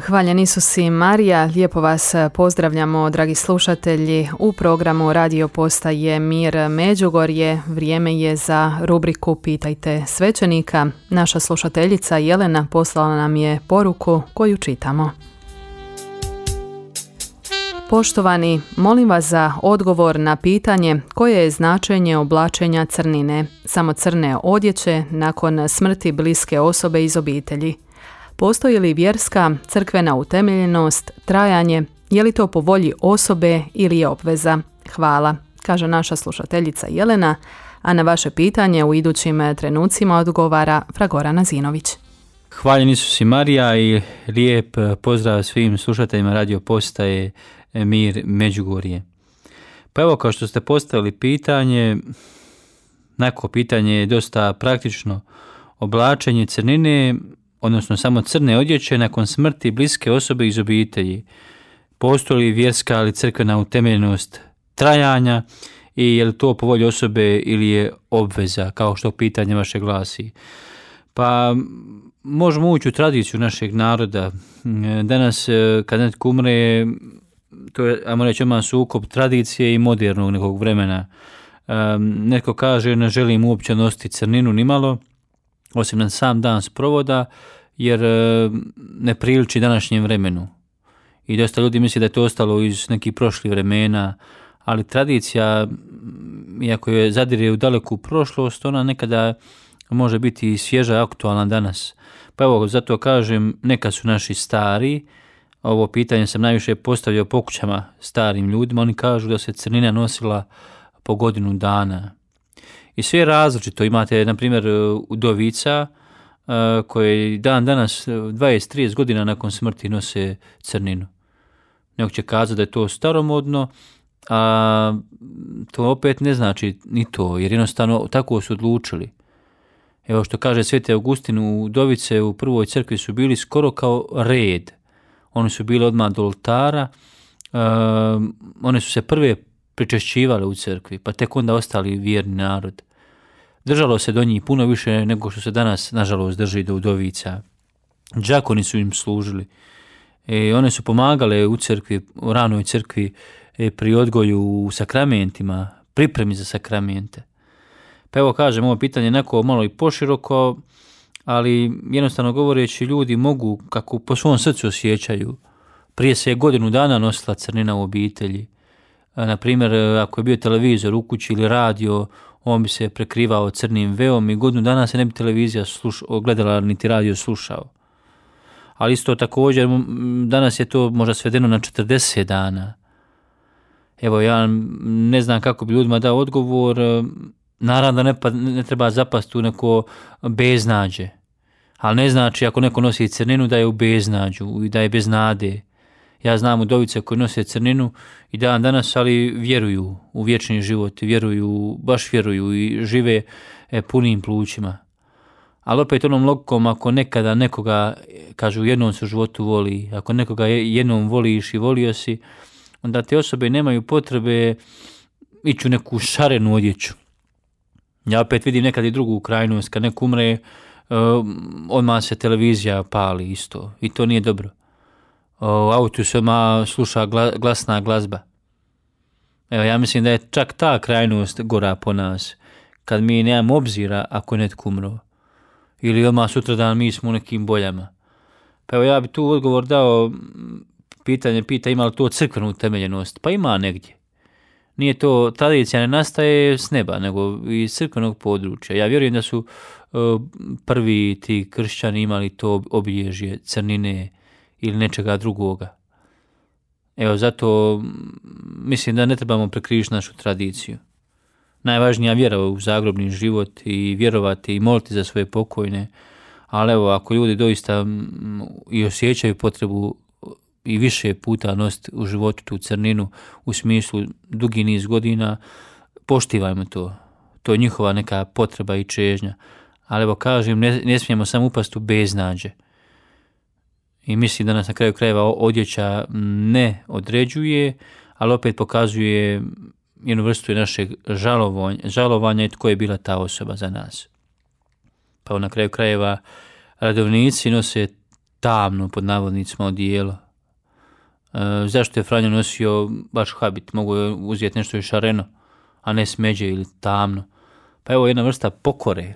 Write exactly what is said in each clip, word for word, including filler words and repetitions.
Hvaljen Isus i Marija, lijepo vas pozdravljamo, dragi slušatelji, u programu Radio Postaje Mir Međugorje. Vrijeme je za rubriku Pitajte svećenika. Naša slušateljica Jelena poslala nam je poruku koju čitamo. Poštovani, molim vas za odgovor na pitanje koje je značenje oblačenja crnine, samo crne odjeće nakon smrti bliske osobe iz obitelji. Postoji li vjerska, crkvena utemeljenost, trajanje, je li to po volji osobe ili je obveza? Hvala, kaže naša slušateljica Jelena, a na vaše pitanje u idućim trenucima odgovara fra Gorana Zinović. Hvaljen Isus i Marija i lijep pozdrav svim slušateljima Radio Postaje Mir Međugorje. Pa evo, kao što ste postavili pitanje, neko pitanje je dosta praktično. Oblačenje crnine, odnosno samo crne odjeće nakon smrti bliske osobe iz obitelji. Postoji li vjerska ali crkvena utemeljenost trajanja i je li to po volji osobe ili je obveza, kao što pitanje vaše glasi. Pa možemo ući u tradiciju našeg naroda. Danas kad netko umre, to je, ajmo reći, ima sukob tradicije i modernog nekog vremena. Um, netko kaže ne želim uopće nositi crninu nimalo, osim na sam dan sprovoda, jer e, ne priliči današnjem vremenu. I dosta ljudi misli da je to ostalo iz nekih prošlih vremena, ali tradicija, iako je zadire u daleku prošlost, ona nekada može biti svježa i aktualna danas. Pa evo, zato kažem, neka su naši stari, ovo pitanje sam najviše postavio po kućama starim ljudima, oni kažu da se crnina nosila po godinu dana. I sve je različito. Imate, na primjer, udovica koje dan danas, dvadeset do trideset godina nakon smrti, nose crninu. Neko će kazati da je to staromodno, a to opet ne znači ni to, jer jednostavno tako su odlučili. Evo što kaže Sveti Augustin, udovice u prvoj crkvi su bili skoro kao red. Oni su bili odmah do oltara, uh, one su se prve pričešćivale u crkvi, pa tek onda ostali vjerni narod. Držalo se do njih puno više nego što se danas, nažalost, drži do udovica. Đakoni su im služili. E, one su pomagale u crkvi, u ranoj crkvi, e, pri odgoju u sakramentima, pripremi za sakramente. Pa evo kažem, ovo pitanje je neko malo i poširoko, ali jednostavno govoreći, ljudi mogu, kako po svom srcu osjećaju. Prije se je godinu dana nosila crnina u obitelji. Na primjer, ako je bio televizor u kući ili radio, on bi se prekrivao crnim veom i godinu dana se ne bi televizija sluš, gledala niti radio slušao. Ali isto također, danas je to možda svedeno na četrdeset dana. Evo, ja ne znam kako bi ljudima dao odgovor. Naravno da ne, pa, ne treba zapasti u neko beznađe. Ali ne znači ako neko nosi crninu da je u beznađu i da je bez nade. Ja znam udovice koji nose crninu i dan danas, ali vjeruju u vječni život, vjeruju, baš vjeruju i žive e, punim plućima. Ali opet onom logikom, ako nekada nekoga, kažu, jednom se u životu voli, ako nekoga jednom voliš i volio si, onda te osobe nemaju potrebe ići u neku šarenu odjeću. Ja opet vidim nekad i drugu krajnost, kad neko umre, uh, odmah se televizija pali isto i to nije dobro. U autu se odmah sluša glasna glazba. Evo, ja mislim da je čak ta krajnost gora po nas, kad mi nemamo obzira ako je netko umro. Ili odmah sutradan mi smo u nekim boljama. Pa evo, ja bi tu odgovor dao, pitanje pita ima li to crkvenu utemeljenost? Pa ima negdje. Nije to, tradicija ne nastaje s neba, nego iz crkvenog područja. Ja vjerujem da su uh, prvi ti kršćani imali to obilježje crnine ili nečega drugoga. Evo, zato mislim da ne trebamo prekriviti našu tradiciju. Najvažnija vjera u zagrobni život i vjerovati i moliti za svoje pokojne, ali evo, ako ljudi doista i osjećaju potrebu i više puta nositi u životu tu crninu u smislu dugi niz godina, poštivajmo to. To je njihova neka potreba i čežnja. Ali evo kažem, ne, ne smijemo samo upasti u beznađe. I mislim da nas na kraju krajeva odjeća ne određuje, ali opet pokazuje jednu vrstu našeg žalovanja, žalovanja i tko je bila ta osoba za nas. Pa na kraju krajeva redovnici nose tamno pod navodnicima odijelo. E, zašto je Franjo nosio baš habit? Mogu je uzeti nešto i šareno, a ne smeđe ili tamno. Pa evo jedna vrsta pokore.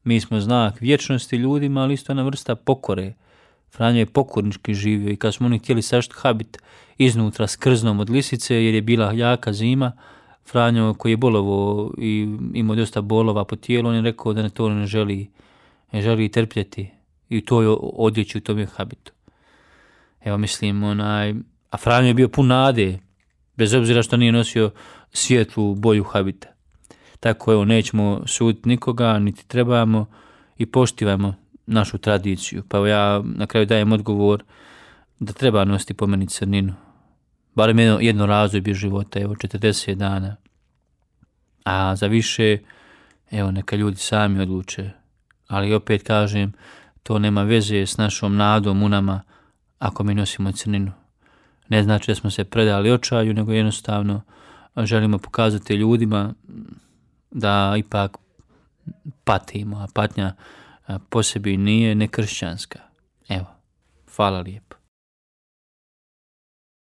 Mi smo znak vječnosti ljudima, ali isto jedna vrsta pokore. Franjo je pokornički živio i kad smo oni htjeli sašti habit iznutra s krznom od lisice jer je bila jaka zima, Franjo koji je bolovo i imao dosta bolova po tijelu, on je rekao da ne to ne želi, ne želi trpjeti i to je odjeći u tom je habitu. Evo mislim, onaj, a Franjo je bio pun nade, bez obzira što nije nosio svijetlu boju habita. Tako evo, nećemo suditi nikoga, niti trebamo i poštivajmo našu tradiciju. Pa evo ja na kraju dajem odgovor da treba nositi po meni crninu. Barem jedno, jedno razdoblje života, evo četrdeset dana. A za više, evo neka ljudi sami odluče. Ali opet kažem, to nema veze s našom nadom u nama ako mi nosimo crninu. Ne znači da smo se predali očaju, nego jednostavno želimo pokazati ljudima da ipak patimo, a patnja po sebi nije nekršćanska. Evo, hvala lijepo.